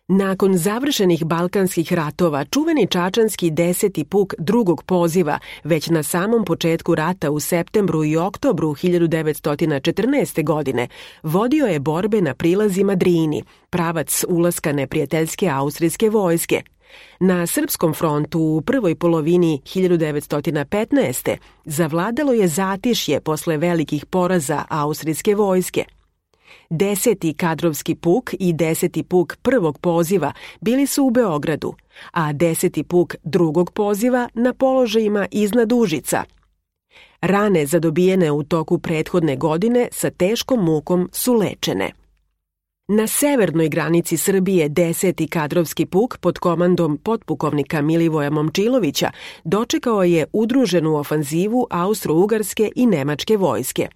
Nakon završenih Balkanskih ratova, čuveni čačanski 10. puk drugog poziva već na samom početku rata u septembru i oktobru 1914. godine vodio je borbe na prilazima Drini, pravac ulaska neprijateljske austrijske vojske. Na srpskom frontu u prvoj polovini 1915. zavladalo je zatišje posle velikih poraza austrijske vojske. 10. kadrovski puk i 10. puk prvog poziva bili su u Beogradu, a 10. puk drugog poziva na položajima iznad Užica. Rane zadobijene u toku prethodne godine sa teškom mukom su lečene. Na severnoj granici Srbije 10. kadrovski puk pod komandom potpukovnika Milivoja Momčilovića dočekao je udruženu ofanzivu Austro-Ugarske i Nemačke vojske.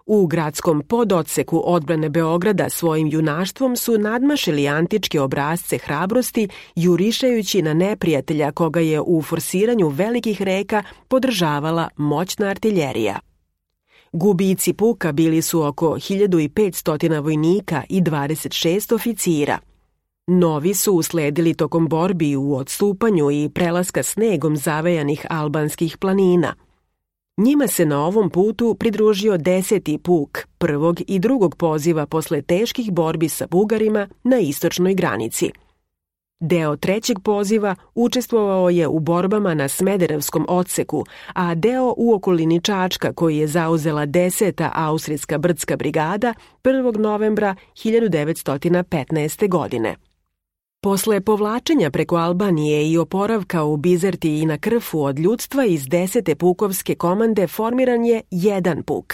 U gradskom pododseku odbrane Beograda svojim junaštvom su nadmašili antičke obrasce hrabrosti, jurišajući na neprijatelja koga je u forsiranju velikih reka podržavala moćna artiljerija. Gubici puka bili su oko 1500 vojnika i 26 oficira. Novi su usledili tokom borbi u odstupanju i prelaska snegom zavejanih albanskih planina. Njima se na ovom putu pridružio 10. puk prvog i drugog poziva posle teških borbi sa Bugarima na istočnoj granici. Deo trećeg poziva učestvovao je u borbama na Smederevskom odseku, a deo u okolini Čačka koji je zauzela 10. austrijska brdska brigada 1. novembra 1915. godine. Posle povlačenja preko Albanije i oporavka u Bizerti i na Krfu od ljudstva iz 10. pukovske komande formiran je jedan puk.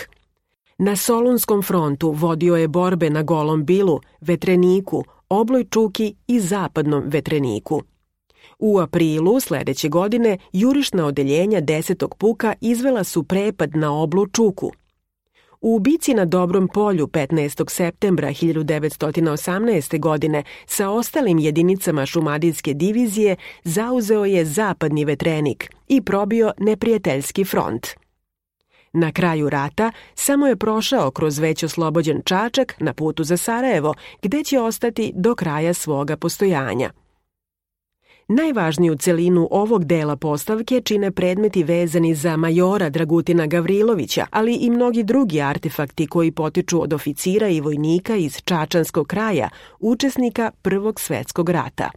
Na Solunskom frontu vodio je borbe na Golom Bilu, Vetreniku, Obloj Čuki i Zapadnom Vetreniku. U aprilu sledeće godine jurišna odeljenja 10. puka izvela su prepad na Oblu Čuku. U bici na Dobrom polju 15. septembra 1918. godine sa ostalim jedinicama šumadijske divizije zauzeo je Zapadni Vetrenik i probio neprijateljski front. Na kraju rata samo je prošao kroz već oslobođen Čačak na putu za Sarajevo, gde će ostati do kraja svoga postojanja. Najvažniju celinu ovog dela postavke čine predmeti vezani za majora Dragutina Gavrilovića, ali i mnogi drugi artefakti koji potiču od oficira i vojnika iz Čačanskog kraja, učesnika Prvog svetskog rata.